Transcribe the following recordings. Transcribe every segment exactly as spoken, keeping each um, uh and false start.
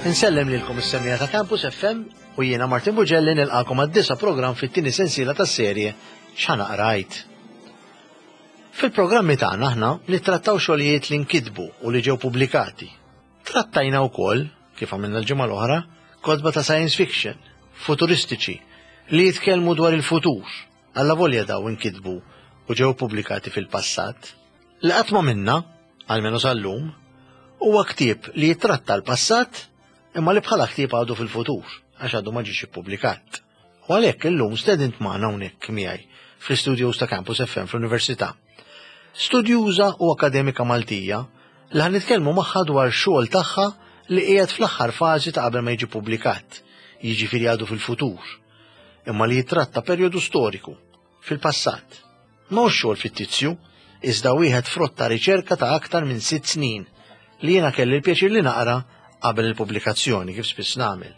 Insellem lilkom is-semmiegħa ta' Campus F M u jiena Martin Bugelli nilqakom għad-disa' programm fit-tieni sensiela tas-serje X'Ħa Naqra Għid. Fil-programmi tagħna aħna nittrattaw xogħlijiet li nkitbu u li ġew pubblikati. Trattajna wkoll, kif għamilna l-ġimgħa l-oħra, kotba ta' science fiction, futuristiċi, li jitkellmu dwar il-futur, allavolja daw inkitbu u ġew pubblikati fil-passat. Li qatt ma minna, almenu sal-lum, huwa ktieb li jitratta l-passat imma li bħala ktieb għadu fil-futur, għax għadu ma ġiex ippubblikat. U għalhekk illum stedint magħna hawnhekk miegħi fl-istudios ta' Campus F M fl-Università. Studjuża u akademika Maltija li ħa nitkellmu magħha dwar xogħol tagħha li qiegħed fl-aħħar fażi ta' qabel ma jiġi pubblikat, jiġifieri għadu fil-futur, imma li jitratta perjodu storiku fil-passat. Ma hux xogħol fittizju, iżda wieħed frott ta' riċerka ta' aktar minn sitt snin li jiena kelli l-pjaċir li naqra qabel il-pubblikazzjoni, kif spiss nagħmel.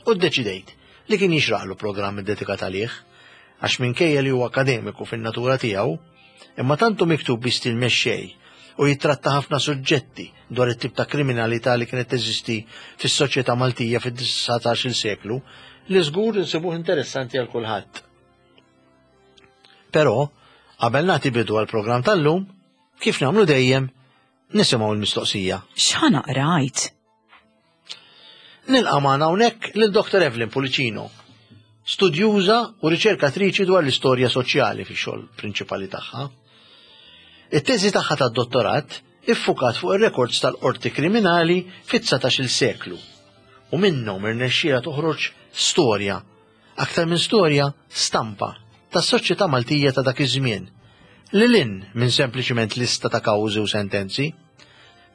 U ddeċidejt li kien jixraqlu programm iddedikat għalih, għax minkejja li huwa akademiku fin-natura tiegħu, imma tantu miktub bi stil mexxej u jitratta ħafna suġġetti dwar it-tip ta' kriminalità li kienet teżisti fis-soċjetà Maltija fid-dsatax-il seklu li żgur insibuh interessanti għal kulħadd. Però, qabel nagħti bidu għal programm tal-lum, kif nagħmlu dejjem, nisimgħu l-mistoqsija. X'ħa naqra Għid? Nilqa' magħna hawnhekk lil Doktor Evelyn Pullicino, studjuża u riċerkatriċi dwar l-istorja soċjali fix-xogħol prinċipali tagħha. It-teżi tagħha tad-dottorat iffukat fuq ir-rekords tal-qorti kriminali fit-dsatax-il seklu u minnhom irnexxiela toħroġ storja, aktar minn storja, stampa tas-soċjetà Maltija ta' dak iż-żmien, lil hinn minn sempliċiment lista ta' kawżi u sentenzi.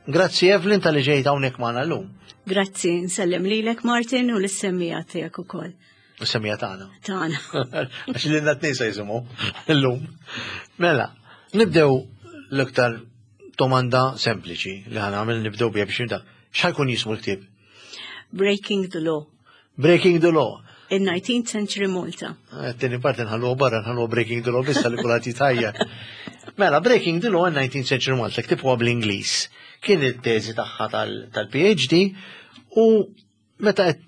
Grazzi, Evelyn, talli ġejt hawnhekk magħna llum. Grazzi, nsellem lilek, Martin, u lis-semmiegħa tiegħek ukoll. Is-semmiegħa tagħna. Tagħna. Għax li n-nisa jisimu illum. Mela, nibdew l-iktar domanda sempliċi li ħa nagħmel, nibdew biha biex nibda. X'ħa jkun jismu l-ktieb? Breaking the Law. Breaking the Law. In nineteenth Century Malta. Tieni parti nħallu barra, nħallu Breaking the Law bissa li kulħadd jitajja. Mela, Breaking the Law in nineteenth Century Malta, ktieb huwa bl-Ingliż. Kien it-teżi tagħha tal-P H D u meta qed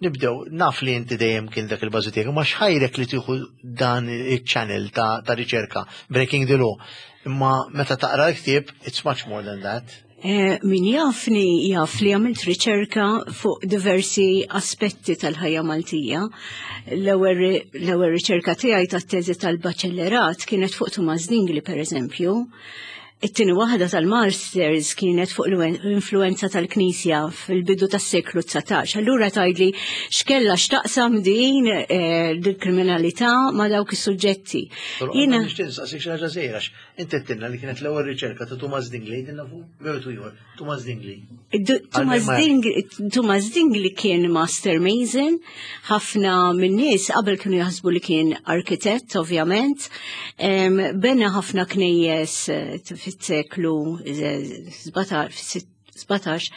nibdew, naf li inti dejjem kien dak il-bażi tiegħek, ma x'ħajrek li tieħu dan il-channel ta', ta riċerka, Breaking the Law? Imma meta taqra l-ktieb, it's much more than that. Eh, min jafni jaf li għamilt riċerka fuq diversi aspetti tal-ħajja Maltija. L-ewwel riċerka tiegħi tat-teżi tal-baċellerat kienet fuq Tumas Dingli, per eżempju. It-tieni waħda tal-Masters kienet fuq l-influenza tal-Knisja fil-bidu tas-seklu dsatax. Allura tgħidli x'kella x'taqsam din eh, il-kriminalità ma' dawk is-suġġetti. Jiena nixtieq nistaqsik xi ħaġa żgħira. Inti għedtilna li kienet l-ewwel riċerka ta' Tumas Dingli, għidilna fuq veru ieħor, Tumas Dingli. Tumas Dingli, Tumas Dingli kien master mason, ħafna minn nies qabel kienu jaħsbu li kien arkitett, ovvjament. Bena ħafna knejjes eh, fis-seklu sbatax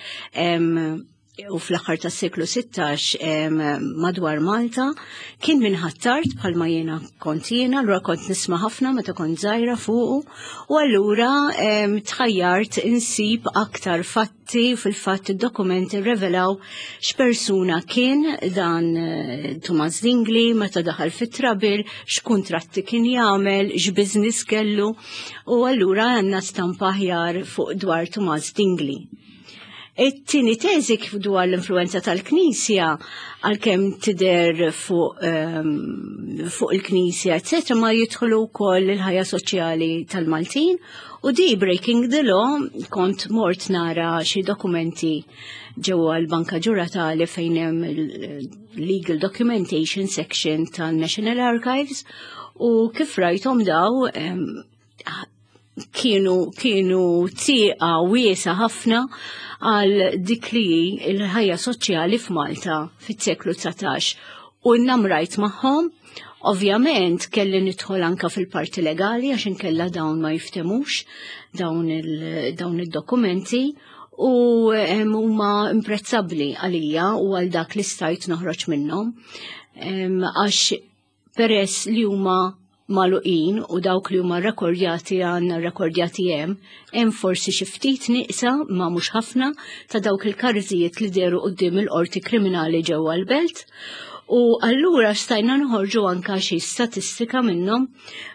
u fl-aħħar tas-seklu sittax madwar Malta. Kien minn Ħ'Attard bħalma jiena kont jiena, allura kont nisma' ħafna meta kont żgħira fuqu u allura tħajjart insib aktar fatti. Fil-fatt id-dokumenti revelaw x'persuna kien dan eh, Thomas Dingli, meta daħal fit-trouble, x'kuntratti kien jagħmel, x'business kellu, u allura għandna stampa aħjar fuq dwar Thomas Dingli. It-tieni teżi kif dwar l-influenza tal-Knisja, għalkemm tidher fuq um, fuq il-Knisja, eccetera, ma jidħlu wkoll il-ħajja soċjali tal-Maltin, u di Breaking the Law kont mort nara xi dokumenti ġewwa l-Banka Ġuratali fejn hemm il-Legal Documentation Section tal-National Archives, u kif rajthom daw um, kienu kienu tieqa wiesa ħafna għal dik li il-ħajja soċjali f'Malta fis-seklu dsatax u nnamrajt magħhom. Ovvjament kelli nidħol anka fil-parti legali għax inkella dawn ma jiftemux dawn il-dokumenti u huma imprezzabbli għalija u għal dak li stajt noħroġ minnhom, għax peress li huma Magħluqin u dawk li huma rekordjati għandna rekordjati hemm, hemm forsi xi ftit nieqsa, ma mhux ħafna, ta' dawk il-każijiet li dehru quddiem il-qorti kriminali ġewwa l-belt. U allura stajna nħorġu anka xi statistika minnhom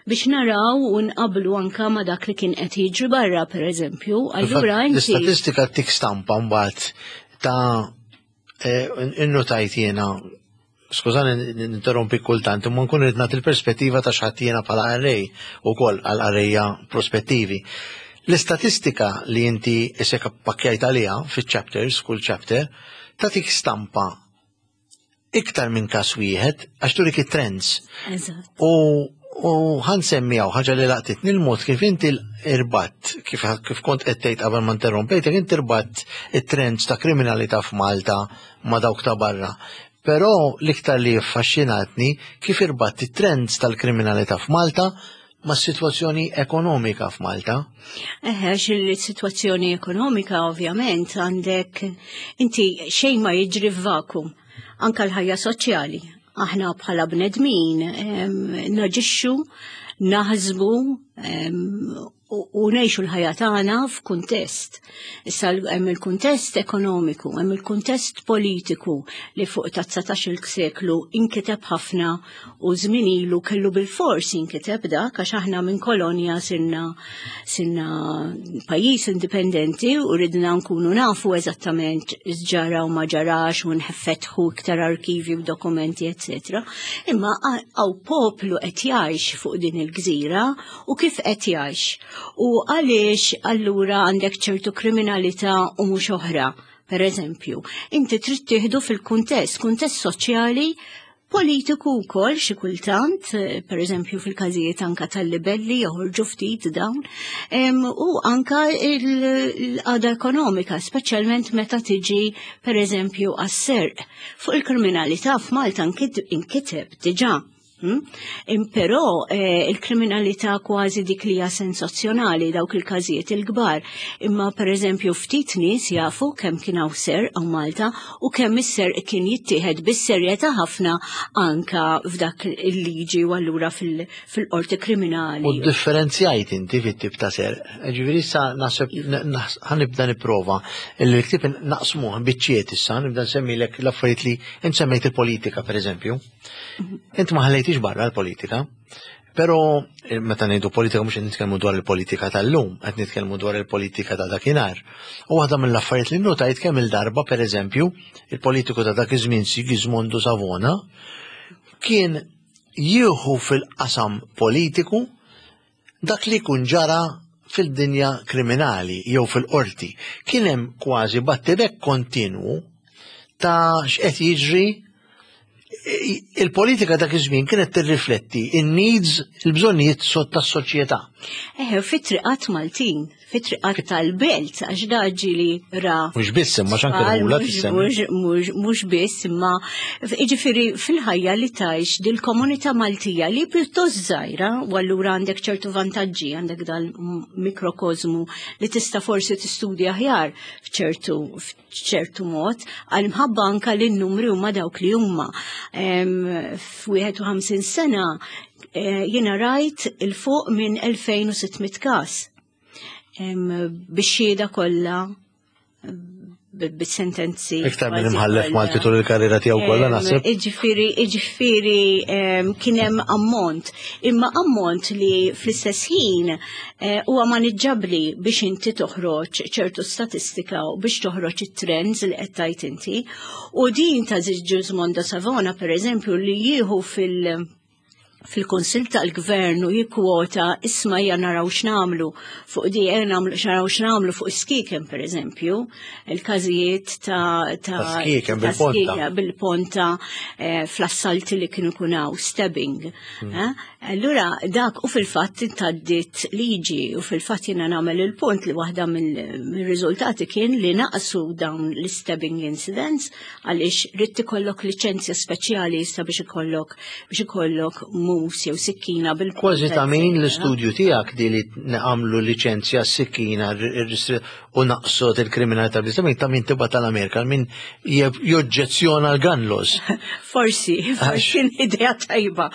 biex naraw u nqablu anka ma dak li kien qed jiġri barra, per eżempju. Allura inti L-istatistika tik stampa mbagħad ta' eh, innotajt jiena, skużani ninterrompi kultant, imma nkun irid nagħti il-perspettiva ta' x'ħadd jiena bħala qarrej ukoll għal qarrejja prospettivi. L-istatistika li inti isek pakkjajt għaliha fiċ-chapters, kull chapter, tagħtik stampa iktar minn kas wieħed għax turik it-trends. Eżatt. U u ħa nsemmi hawn ħaġa li laqtitni, il-mod kif inti irbatt, kif, kif kont qed tgħid qabel ma interrompejtek, inti irbatt it-trends ta' kriminalità f'Malta ma' dawk ta' barra. Però l-iktar li affaxxinatni kif irbatt it-trends tal-kriminalità f'Malta ma' situazzjoni ekonomika f'Malta. Eħe, il-situazzjoni ekonomika ovvjament għandek inti, xejn ma jiġri f'vakum, anka l-ħajja soċjali. Aħna bħala bnedmin em, naġixxu, naħsbu em, u u ngħixu l-ħajja tagħna f'kuntest. Issa hemm il-kuntest ekonomiku, hemm il-kuntest politiku li fuq ta' dsatax-il seklu inkiteb ħafna u żmien ilu kellu bil-fors inkiteb dak, għax aħna minn kolonja sirna sirna pajjiż indipendenti u ridna nkunu nafu eżattament x'ġara u ma ġarax u nfetħu iktar arkivi u dokumenti, eċċetera. Imma hawn poplu qed jgħix fuq din il-gżira u kif qed jgħix. U għaliex allura għandek ċertu kriminalità u mhux oħra? Per eżempju, inti trid tieħdu fil-kuntest, kuntest soċjali, politiku wkoll xi kultant, eh, per eżempju fil-każijiet anka tal-libelli joħorġu ftit dawn, em, u anka l-qagħda ekonomika, speċjalment meta tiġi per eżempju għas-serq. Fuq il-kriminalità f'Malta inkiteb diġà. Hmm? Però eh, il-kriminalità kważi dik li hija sensazzjonali, dawk il-każijiet il-kbar. Imma per eżempju ftit nies jafu kemm kien hawn serq hawn Malta u kemm is-serq kien jittieħed bis-serjetà ħafna anka f'dak il-liġi u allura fil-qorti kriminali. U differenzjajt inti fit-tip ta' serq. Ġifieri issa naħseb ħa nibda nipprova il-ktieb naqsmuh biċċiet issa, nibda nsemmilek l-affarijiet li int semmejt, il-politika per eżempju. Int ma ħallejtix barra l-politika, pero eh, meta ngħidu politika mhux qed nitkellmu dwar il-politika tal-lum, qed nitkellmu dwar il-politika ta' dakinhar. U waħda mill-affarijiet li notajt kemm il-darba, pereżempju, il-politiku ta' dak iż-żmien Sigismondo Savona kien jieħu fil-qasam politiku dak li kun ġara fil-dinja kriminali jew fil-qorti. Kien hemm kważi battibek kontinwu ta' x'qed jiġri. Il-politika dak iż-żmien kienet tirrifletti in-needs, il-bżonnijiet tas-soċjetà. Eħe, fit-triqat Maltin, fit-triqat tal-belt, għax daġi li ra. Mhux biss, imma x'anke l Mhux mhux biss, imma jiġifieri fil-ħajja li tgħix dil-komunità Maltija li pjuttost żgħira, u allura għandek ċertu vantaġġi, għandek dal-mikrokozmu li tista' forsi tistudja aħjar f'ċertu f'ċertu mod, għal mħabba anka li n-numri huma dawk li huma. F'ħamsa u ħamsin sena eh, jiena rajt il-fuq minn elfejn u sitt mitt każ. Bix-xhieda kollha, bit-sentenzi. Iktar minn imħallef Malti tul il-karriera tiegħu kollha, naħseb. Iġifieri, iġifieri kien hemm ammont, imma ammont li fl-istess ħin eh, huwa maniġġabbli biex inti toħroġ ċertu statistika u biex toħroġ it-trends li qed tgħid inti. U din ta' Gismondo Savona, per eżempju, li jieħu fil- fil-Kunsill tal-Gvern u jikkwota, "Isma', ejja naraw x'nagħmlu fuq di, ejja nagħmlu naraw x'nagħmlu fuq skieken", per eżempju, il-każijiet ta' ta' skieken bil-ponta. Bil-ponta eh, fl-assalti li kienu kunaw, stabbing. Hmm. Eh? Allura dak u fil-fatt intaddit liġi u fil-fatt jiena nagħmel il-punt li waħda mill-riżultati kien li naqsu dawn l-stabbing incidents, għaliex ridt ikollok liċenzja speċjali issa biex ikollok biex ikollok mus jew sikkina bil Kważi ta' min l-istudju tiegħek di li nagħmlu liċenzja s-sikkina u naqsot il-kriminalità bl ta' min tibgħat tal-Amerika, min joġġezzjona l-gun laws. Forsi, forsi idea tajba.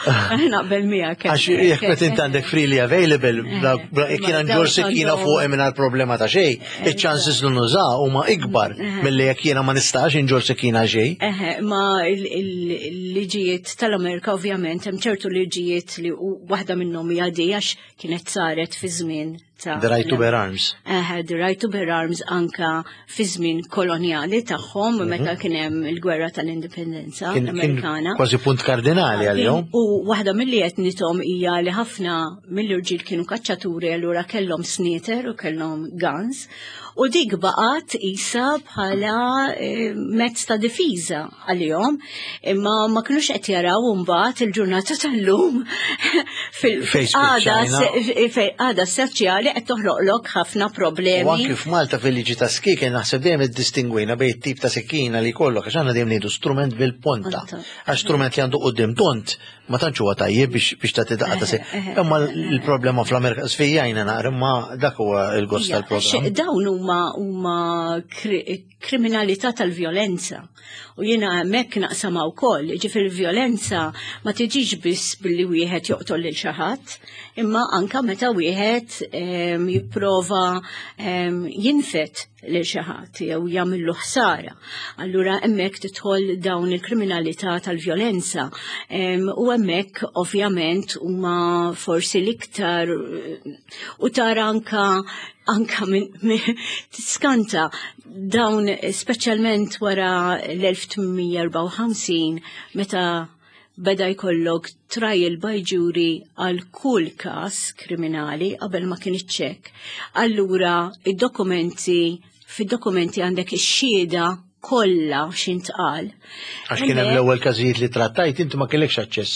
Naqbel miegħek. Għax jekk meta int għandek freely available, jekk jiena nġorr sikkina fuq mingħajr problema ta' xejn, iċ-chances li nuża huma ikbar milli jekk jiena ma nistax inġorr sikkina xejn. Ma il-liġijiet tal-Amerika, ovvjament, hemm ċertu liġijiet li waħda minnhom hija di għax kienet saret fi żmien ta' The right to bear arms. Uh, the right to bear arms anka fi żmien kolonjali tagħhom mhm. meta kien hemm il-gwerra tal-indipendenza Amerikana. Kważi punt kardinali għalihom. U waħda milli qed nithom hija li ħafna mill-irġiel kienu kaċċaturi, allura kellhom snieter u kellhom guns. U dik baqgħet isa bħala eh, mezz ta' difiża għalihom, imma ma kinux qed jaraw mbagħad il-ġurnata tal-lum fil-qagħda soċjali qed toħloqlok ħafna problemi. U anki f'Malta fil-liġi ta' skieken naħseb dejjem iddistingwejna bejn tip ta' sikkina li jkollok, għax aħna dejjem ngħidu strument bil-ponta. Għax strument li għandu quddiem tont ma tantx huwa tajjeb biex biex tagħti daqqa ta' se. Imma l-problema fl-Amerika sfijajna naqra, imma dak huwa il-gost tal-programm. Dawn huma huma kriminalità tal-vjolenza. U jiena hemmhekk naqsamha wkoll, ġifieri vjolenza ma tiġix biss billi wieħed joqtol lil xi ħadd, imma anka meta wieħed jipprova jinfed lil xi ħadd jew jagħmillu ħsara. Allura hemmhekk tidħol dawn il-kriminalità tal-vjolenza. U hemmhekk ovvjament huma forsi l-iktar u tara anka anka minn tiskanta dawn, speċjalment wara l-elf tmien mija erbgħa u ħamsin meta beda jkollok trial by jury għal kull kas kriminali, qabel ma kien hekk. Allura id-dokumenti fid-dokumenti għandek ix-xhieda kollha x'intqal. Għax kien hemm l-ewwel każijiet li trattajt inti ma kellekx aċċess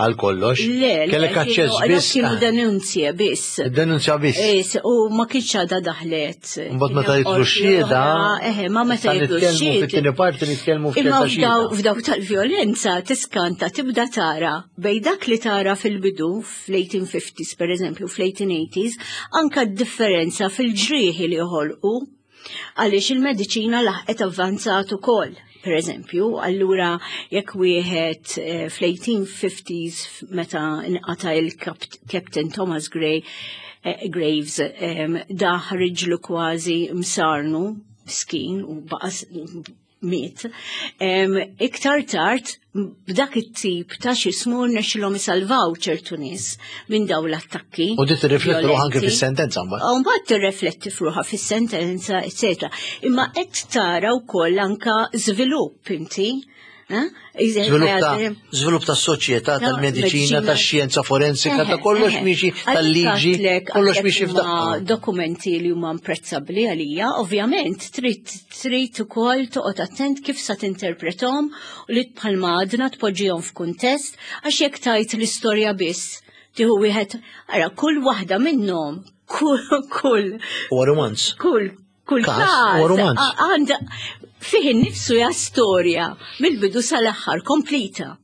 għal kollox. Le, kellek aċċess biss. Kienu denunzje biss. Denunzja biss. Is, u ma kienx għadha daħlet. Mbagħad meta jidħlu x-xhieda. Eħe, ma meta jidħlu x-xhieda. Fit-tieni parti nitkellmu Imma f'daw tal-vjolenza tiskanta tibda tara bej dak li tara fil-bidu fl-eighteen fifties per eżempju, fl-eighteen eighties, anka d-differenza fil-ġrieħi li joħolqu għaliex il-mediċina laħqet avvanzat ukoll. Per eżempju, allura jekk wieħed eh, fl-eighteen fifties meta nqata il-Captain Thomas Gray eh, Graves daħ riġlu kważi msarnu skin u baqa miet. Iktar tard, b'dak it-tip ta' xismu rnexxilhom isalvaw ċertu nies minn daw l-attakki. U di tirrifletti ruħha anke fis-sentenza mbagħad. U mbagħad tirrifletti ruħha fis-sentenza, eċetera. Imma qed tara wkoll anka żvilupp inti. Żvilupp ta' soċjetà, tal-mediċina, tax-xjenza forensika, ta' kollox miexi tal-liġi, kollox miexi f'daqqa. Dokumenti li huma imprezzabbli għalija, ovvjament trid trid ukoll toqgħod attent kif sa tinterpretom u li bħalma għadna tpoġġihom f'kuntest, għax jekk tajt l-istorja biss tieħu wieħed, ara kull waħda minnhom, kull kull Huwa romanz. Kull kull każ każ għandha fih innifsu ja storja mill-bidu sal-aħħar komplita.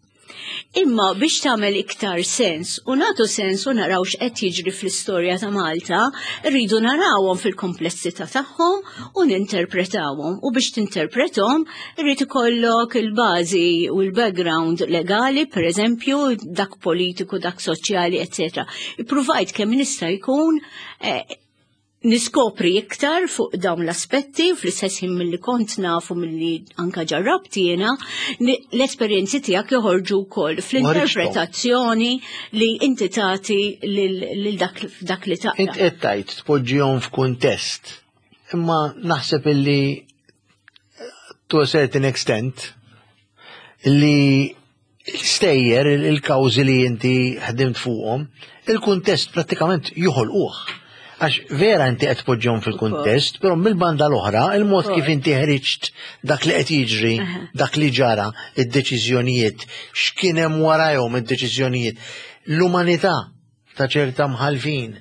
Imma biex tagħmel iktar sens u nagħtu sens u naraw x'qed jiġri fl-istorja ta' Malta, rridu narawhom fil-komplessità tagħhom u ninterpretawhom. U biex tinterprethom, irrid ikollok il-bażi u l-background legali, per eżempju, dak politiku, dak soċjali, eċċetera. Ippruvajt kemm nista' jkun eh, niskopri iktar fuq dawn l-aspetti u fl-istess ħin milli kont nafu, milli anka ġarrabt jiena, l-esperjenzi tiegħek joħorġu wkoll fl-interpretazzjoni li inti tagħti lil dak dak li taqra. Int qed tgħid tpoġġihom f'kuntest. Imma naħseb illi to a certain extent li stejjer il-kawżi li inti ħdimt fuqhom, il-kuntest prattikament joħolquh. Għax vera inti qed tpoġġihom fil-kuntest, però mill-banda l-oħra, il-mod kif inti ħriġt dak li qed jiġri, dak li ġara, id-deċiżjonijiet, x'kien hemm warajhom id-deċiżjonijiet, l-umanità ta' ċerta mħalfin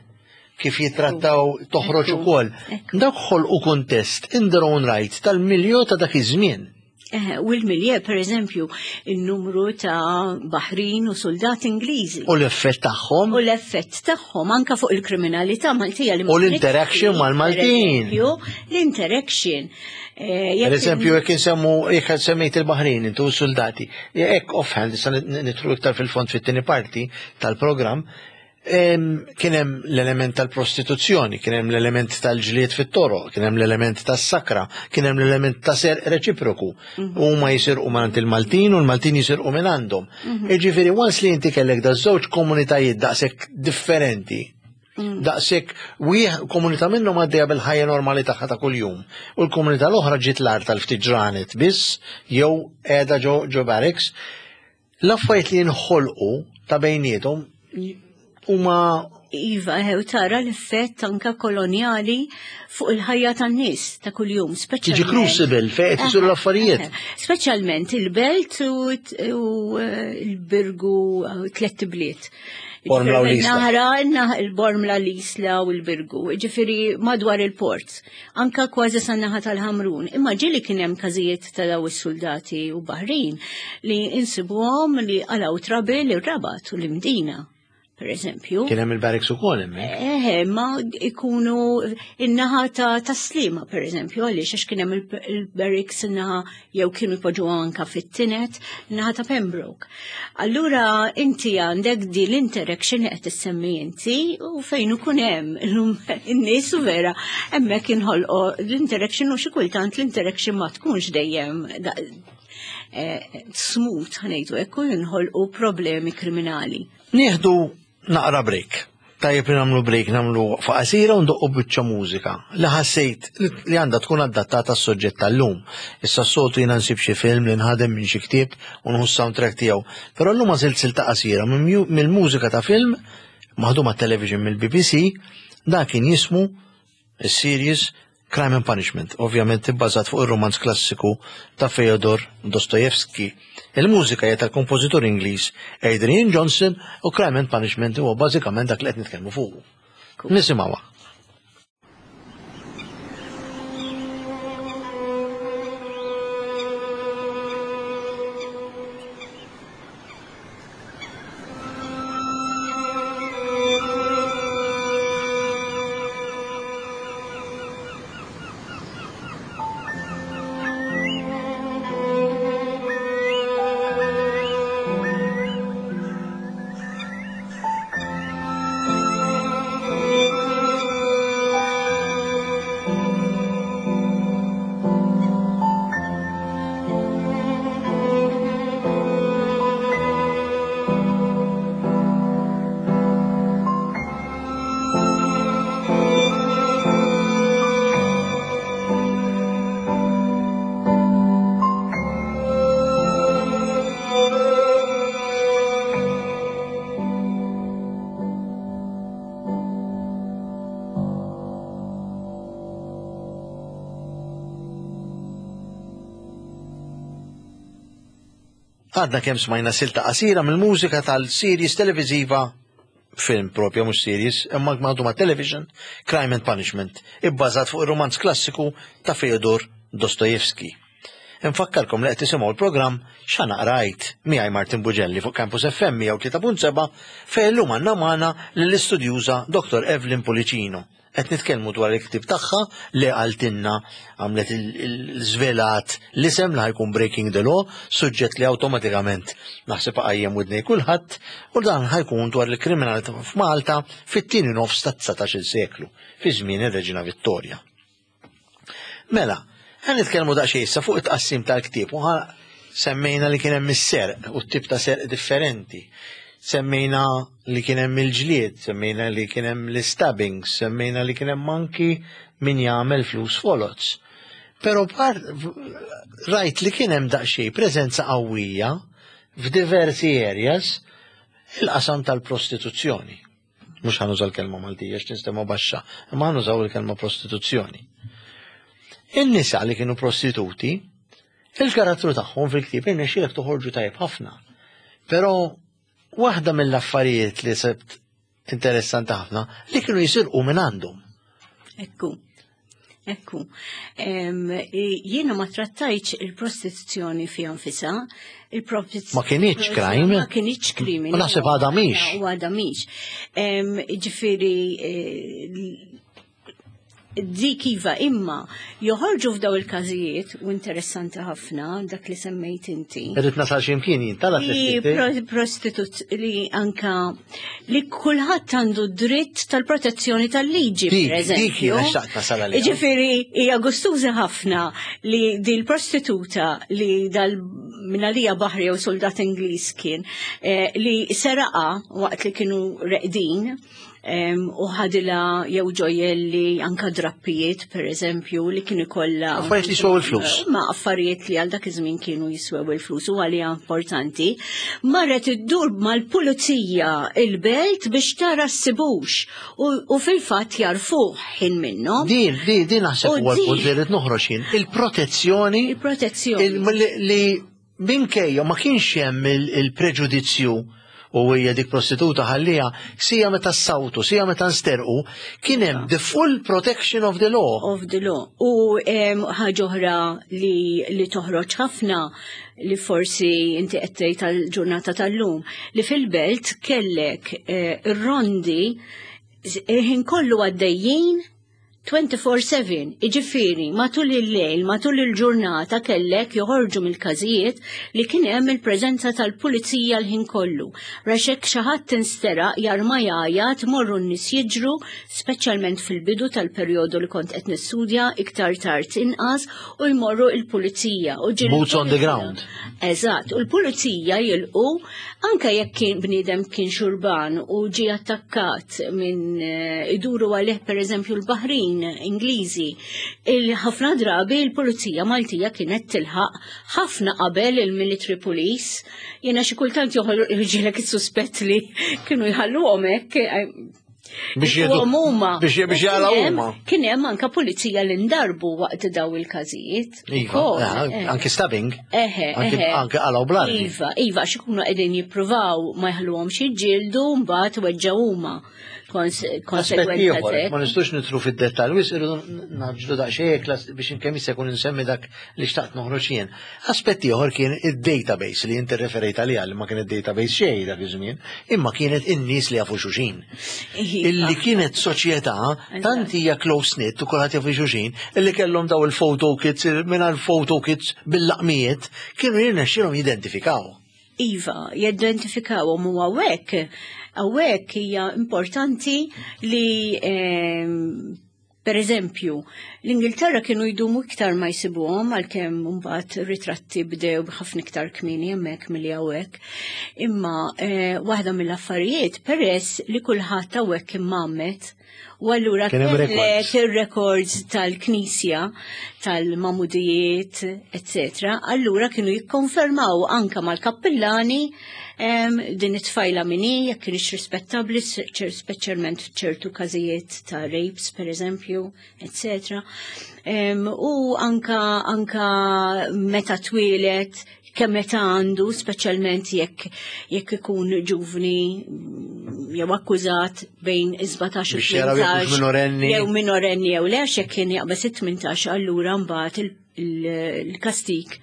kif jitrattaw toħroġ ukoll. Dak ħolqu kuntest in their own right tal-milju ta' dak iż-żmien. Eh, u l-milieu, per eżempju, il-numru ta' baħrin u soldati Ingliżi. U l-effett tagħhom. U l-effett tagħhom anka fuq il-kriminalità Maltija li U l-interaction mal-Maltin. L-interaction. Eh, per eżempju, jekk insemmu, jekk semmejt il-Baħrin, intu soldati, jekk offhand, issa nidħlu iktar fil-fond fit-tieni parti tal-programm, kien hemm l-element tal-prostituzzjoni, kien hemm l-element tal-ġlied fit-toroq, kien hemm l-element tas-sakra, kien hemm l-element ta' serq reċiproku. Mhm. Huma jisirqu minn il-Maltin u l-Maltin jisirqu minn għandhom. Mhm. Jiġifieri once li inti kellek da żewġ komunitajiet daqshekk differenti, mhm. daqshekk wieħ komunità minnhom għaddejja bil-ħajja normali tagħha ta' kuljum. U l-komunità l-oħra ġiet l-art tal-ftit ġranet biss jew qiegħda ġo ġo barracks. L-affarijiet li jinħolqu ta' bejniethom huma Iva, u tara l-effett anka koloniali fuq il-ħajja tan-nies ta' kuljum, speċjalment. Tiġi crucible fejn qed isiru l-affarijiet. Speċjalment il-belt u eh, il-Birgu tliet bliet. Bormla u l-Isla. Naħra, il-Bormla, l-Isla u l-Birgu, ġifieri madwar il-port, anka kważi san-naħa tal-Ħamrun. Imma ġieli kien hemm każijiet ta' daw is-soldati u baħrin li insibuhom li qalgħu trouble ir-Rabat u l-Imdina per eżempju. Kien hemm il-barracks ukoll hemmhekk. Eh, ma ikunu in-naħa ta' Taslima, per eżempju, għaliex għax kien hemm il-barracks in-naħa jew kienu jpoġġu anka fit-tinet, in-naħa ta' Pembroke. Allura inti għandek di l-interaction li qed tissemmi inti u fejn ikun hemm in-nies u vera hemmhekk inħolqu l-interaction u xi kultant l-interaction ma tkunx dejjem eh, smooth ħa ngħidu hekk u jinħolqu problemi kriminali. Nieħdu naqra break. Tajjeb li nagħmlu break, nagħmlu faqasira u ndoqqu biċċa mużika li ħassejt li għandha tkun adattata s-soġġett tal-lum. Issa s-soltu jiena nsib xi film li nħadem minn xi ktieb u nħu soundtrack tiegħu. Però llum għażilt silta qasira mill-mużika ta' film maħduma television mill-B B C, da kien jismu is-series Crime and Punishment, ovvjament ibbażat fuq ir-romanz klassiku ta' Fyodor Dostoevsky. Il-mużika hija tal-kompożitur Ingliż Adrian Johnson u Crime and Punishment huwa bażikament dak li qed nitkellmu fuq. Nisimgħuha. Għadna kemm smajna silta qasira mill-mużika tal-series televiziva, film propja mhux series, imma ma' television, Crime and Punishment, ibbażat fuq ir-romanz klassiku ta' Fyodor Dostoevsky. Infakkarkom li qed tisimgħu l-programm X'Għana Qrajt miegħi Martin Bugelli fuq Campus F M mija u tlieta punt seba' fejn illum għandna magħna lill-istudjuża Doktor Evelyn Pullicino. Qed nitkellmu dwar il-ktieb tagħha li qaltilna għamlet il-żvelat l-isem li ħa jkun Breaking the Law, suġġett li awtomatikament naħseb qajjem widnej kulħadd, u dan ħa jkun dwar il-kriminalità f'Malta fit-tieni nofs tat-dsatax-il seklu, fi żmien ir-Reġina Vittoria. Mela, ħa nitkellmu daqsxejn issa fuq it-tqassim tal-ktieb u semmejna li kien hemm is-serq u t-tip ta' serq differenti. Semmejna li kien hemm il-ġlied, semmejna li kien hemm l-stabbings, semmejna li kien hemm anki min jagħmel flus foloz. Però par rajt li kien hemm daqsxejn preżenza qawwija f'diversi areas il-qasam tal-prostituzzjoni. Mhux ħa nuża l-kelma Maltija x'tinstema' baxxa, imma ħa nużaw il-kelma prostituzzjoni. In-nisa li kienu prostituti, il-karattru tagħhom fil-ktieb irnexxielek toħorġu tajjeb ħafna. Però waħda mill-affarijiet li sibt interessanti ħafna li kienu jisirqu minn għandhom. Ekku. Ekku. Jiena ma trattajtx il-prostituzzjoni fiha nfisha. Ma kinitx crime. Ma kinitx krimini. U naħseb għadha mhix. U għadha mhix. Ġifieri, eh, dik iva, imma joħorġu f'daw il-każijiet, u interessanti ħafna dak li semmejt inti. Irrid nasal x'imkien jien tala. Li prostitut li anka li kulħadd għandu dritt tal-protezzjoni tal-liġi, Dik- per eżempju. Dik jiena xtaqt nasal għaliha. Ġifieri hija gustuża ħafna li di l-prostituta li dal minalija baħri jew soldat Ingliż kien eh, li seraqa waqt li kienu reqdin em, u ħadila jew ġojelli, anka drappijiet, per eżempju, li kienu kollha Affarijiet li jiswew il-flus. Ma affarijiet li għal dak iż-żmien kienu jiswew il-flus u għalija importanti. Marret iddur mal-pulizija il-belt biex tara ssibux u, u fil-fatt jarfuh ħin minnhom. Din, din, din naħseb U huwa l-punt din- li rrid noħroġ jien. Il-protezzjoni Il-protezzjoni. il- li, li minkejja ma kienx hemm il- il-preġudizzju u hija dik prostituta, ħallija, sija meta ssawtu, sija meta nsterqu, kien hemm the full protection of the law. Of the law. U em, ħaġa oħra li, li toħroġ ħafna, li forsi inti qed tgħid tal-ġurnata tal-lum, li fil-belt kellek eh, ir-rondi ħin kollu għaddejjin twenty-four seven, iġifiri, matul il-lejl, matul il-ġurnata kellek joħorġu mill-każijiet li kien hemm il-preżenza tal-pulizija l-ħin kollu. Raxek xi ħadd tinsteraq, jarma jgħajjat, morru n-nies jiġru, speċjalment fil-bidu tal-perjodu li kont qed nistudja, iktar tard inqas, u jmorru il-pulizija. U ġieli Boots on the ground. Eżatt, u l-pulizija jilqu anka jekk kien bniedem kien xurban u ġi attakkat minn eh, iduru għalih, per eżempju, l-Baħrin Ingliżi. Il-ħafna drabi l-pulizija Maltija kienet tilħaq ħafna qabel il-military police. Jiena xi kultant joħorġilek is-suspett li kienu jħalluhom hekk eh, Biex jieħdu- huma. biex biex jaqlaw Kien hemm- huma. Kien hemm anka pulizija li ndarbu waqt daw il-każijiet. Iva, Ukoll, eh, eh. anki stabbing. Eħe, Anki eħe. anki qalgħu bl-armi. Iva, iva, għax ikunu qegħdin jippruvaw ma jħalluhomx jiġġieldu, mbagħad weġġaw huma. Kons- Aspett Konsegwenza ieħor, t'hekk. ma nistux nidħlu fid-dettall, wis irridu ngħaġġlu daqsxejn klas biex kemm jista' jkun insemmi dak li xtaqt noħroġ jien. Aspett ieħor kien id-database li inti referejt għaliha, li ma kien id-database xejn dak iż-żmien, imma kienet in-nies li jafu xulxin. Iva. Illi kienet soċjetà tant hija close knit u kulħadd jafu xulxin, illi kellhom daw il-photo kits, mingħajr photo kits, bil-laqmijiet, kienu jirnexxielhom jidentifikaw. Iva, jidentifikawhom u hawnhekk, hawnhekk hija importanti li ehm, per eżempju, l-Ingilterra kienu jdumu iktar ma jsibuhom, għalkemm mbagħad ritratti bdew b'ħafna iktar kmieni hemmhekk milli hawnhekk. Imma eh, waħda mill-affarijiet, peress li kulħadd hawnhekk immammet, u allura Kien hemm kellek records. il-records tal-knisja, tal-mamudijiet, eccetera. Allura kienu jikkonfermaw anka mal-kappillani em, din it-tfajla minni, jekk kienx rispettabli, speċjalment f'ċertu każijiet ta' rapes, per eżempju, eccetera. Em, u anka, anka meta twieled, kemm meta għandu, speċjalment jekk jekk ikun ġuvni mm, jew akkużat bejn sbatax u Biex jaraw jekk hux tmintax, minorenni. Jew minorenni jew le, għax jekk kien jaqbeż it-tmintax, allura mbagħad il- il- il-kastik,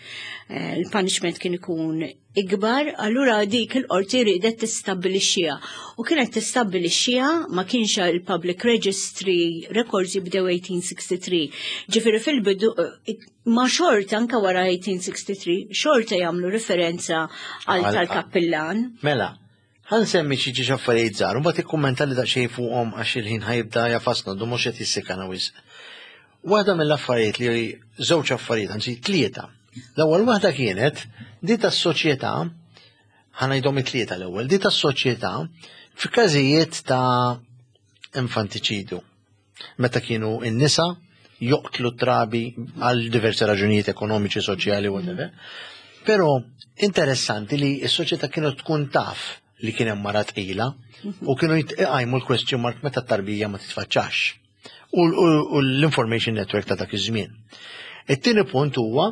eh, il-punishment kien ikun ikbar, allura dik il-qorti riedet tistabbilixxiha. U kienet tistabbilixxiha, ma kienx il-Public Registry records jibdew eighteen sixty-three. Ġifieri fil-bidu eh, ma xorta anka wara eighteen sixty-three xorta jagħmlu referenza għal Għal- tal-kappillan. Mela, ħa nsemmi xi ġiex affarijiet żgħar, u mbagħad ikkummenta li daqsxejn fuqhom għax il-ħin ħa jibda jagħfasna, du mhux qed jissikana wisq. Waħda mill-affarijiet li, żewġ affarijiet, anzi tlieta. L-ewwel waħda kienet di tas-soċjetà, ħa ngħidhom it-tlieta l-ewwel, di tas-soċjetà f'każijiet ta' infantiċidu. Meta kienu n-nisa joqtlu trabi għal diversi raġunijiet ekonomiċi, soċjali, whatever. Però interessanti li s-soċjetà kienu tkun taf li kien hemm mara tqila u kienu jitqajmu l-question mark meta t-tarbija ma titfaċċax. U, u, u l-information network ta' dak iż-żmien. It-tieni punt huwa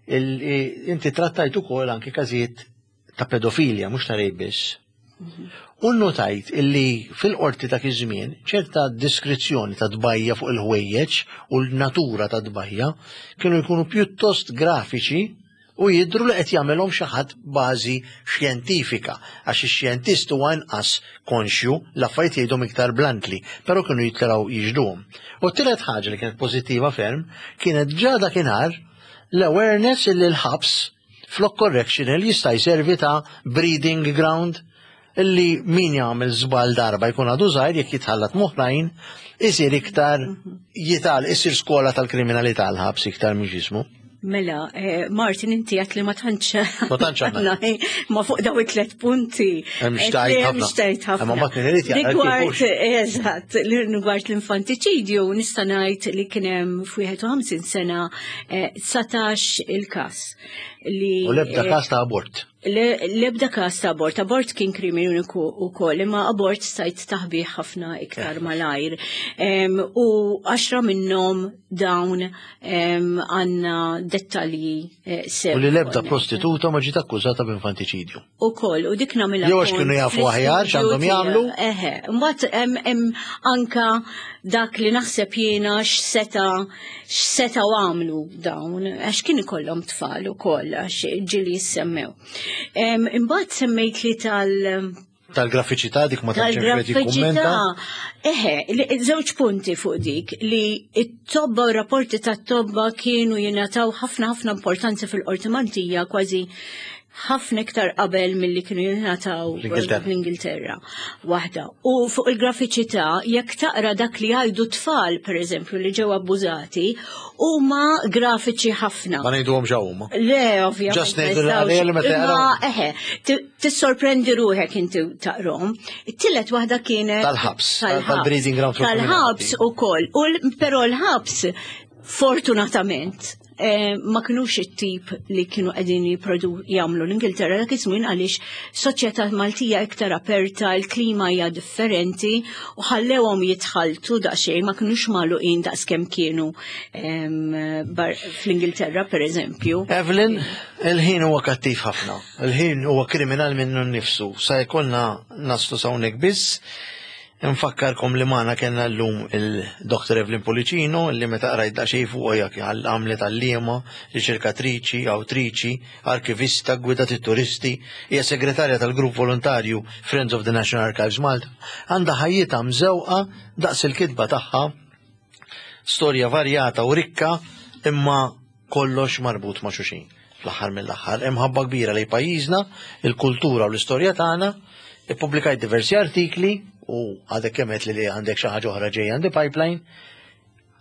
il- inti trattajt ukoll anke każijiet ta' pedofilja, mhux ta' rape biss. U notajt illi fil-qorti ta' iż-żmien ċerta diskrizzjoni ta' tbajja fuq il-ħwejjeġ u l-natura ta' tbajja kienu jkunu pjuttost grafiċi u jidru li qed jagħmelhom xi ħadd bażi xjentifika, għax ix-xjentist huwa inqas konxju, l-affarijiet jgħidhom iktar bluntly, però kienu jitilgħu jixhduhom. U t-tielet ħaġa li kienet pożittiva ferm kienet ġa dakinhar l-awareness illi l-ħabs flok correctional jista' jservi ta' breeding ground, illi min jagħmel żball darba jkun għadu żgħir, jekk jitħallat m'oħrajn isir iktar jital isir skola tal-kriminalità l-ħabs iktar minn ġismu. Mela, eh, Martin, inti għedt li ma tantx. Ma tantx għandna. Ma fuq daw it-tlet punti. Hemm xtajt ħafna. Xtajt ħafna. Imma mbagħad min irid jaqra kif Rigward, hux. eżatt, rigward l-infantiċidju, nista' ngħid li kien hemm f'wieħed u ħamsin sena eh, dsatax il-każ li U l-ebda eh, każ ta' abort. Le- L-ebda każ ta' abort, abort kien krimini uniku u koll, imma abort stajt taħbih ħafna iktar malajr. Em, U għaxra minnhom dawn em, għandna dettalji eh, sew. U li l-ebda prostituta ma ġiet akkużata b'infantiċidju. U koll, u dik nagħmilha Jew għax punt kienu jafu aħjar x'għandhom fl-istudju jagħmlu. tiegħi. Eħe, mbagħad hemm hemm anka dak li naħseb jiena x'seta x'setgħu għamlu dawn, għax kien ikollhom tfal ukoll, għax ġieli jissemmew. Em, Imbagħad semmejt li tal Tal-grafiċità dik ma tantx hemm xejn tal-grafiċità. jikkummenta. Eħe, li- żewġ punti fuq dik, li it-tobba u rapporti tat-tobba kienu jingħataw ħafna ħafna importanza fil-qorti Maltija, kważi ħafna iktar qabel milli kienu jingħataw L-Ingilterra. l-Ingilterra. Waħda. U fuq il-grafiċità, jekk taqra dak li jgħidu tfal, per eżempju, li ġew abbużati, huma grafiċi ħafna. Ma ngħiduhom ġew huma. Le, ovvjament. Just ngħidu ma l-għalija li meta Imma, jaqraw. eħe, ti- tissorprendi ruħek inti taqrom. It-tielet waħda kienet Tal-ħabs, tal-breeding ground for Tal-ħabs criminality. u koll. U l- Però l-ħabs, fortunatament, eh, ma kinux it-tip li kienu qegħdin jipprodu jagħmlu l-Ingilterra dak iż-żmien, għaliex soċjetà Maltija iktar aperta, il-klima hija differenti u ħallewhom jitħaltu daqsxejn, ma kinux magħluqin daqskemm kienu em, bar- fl-Ingilterra, per eżempju. Evelyn, il-ħin huwa kattiv ħafna. Il-ħin huwa kriminal minnu nnifsu. Sa jkollna naslu s'hawnhekk biss. Nfakkarkom li magħna kellna llum il-Doktor Evelyn Pullicino, li meta qrajt daqsxejn fuq jak għamlet għalliema, riċerkatriċi, awtriċi, arkivista, gwidat it-turisti, hija segretarja tal-grupp volontarju Friends of the National Archives Malta, għandha ħajjitha mżewqa daqs il-kitba tagħha, storja varjata u rikka, imma kollox marbut ma' xulxin. Fl-aħħar mill-aħħar, imħabba kbira lejn pajjiżna, il-kultura u l-istorja tagħna, ippubblikajt diversi artikli u għadek kemm li li għandek xi ħaġa oħra ġejja għandi pipeline,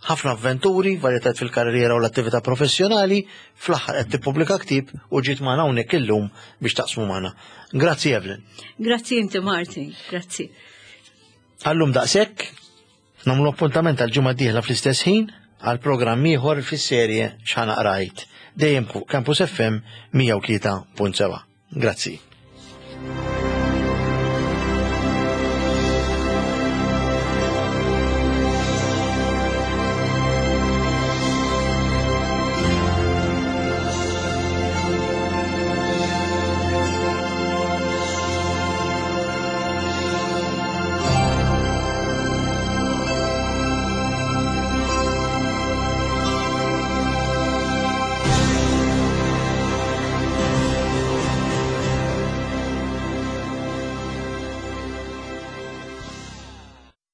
ħafna avventuri, varjetat fil-karriera u l-attività professjonali, fl-aħħar qed tippubblika ktieb u ġiet magħna hawnhekk illum biex taqsmu magħna. Grazzi, Evelyn. Grazzi inti, Martin, grazzi. Għallum daqshekk, nagħmlu appuntament għal ġimgħa dieħla fl-istess ħin għal programm ieħor fis-serje X'Ħa Naqra Għidt. Dejjem fuq Campus F M mija u tlieta punt seba'. Grazzi.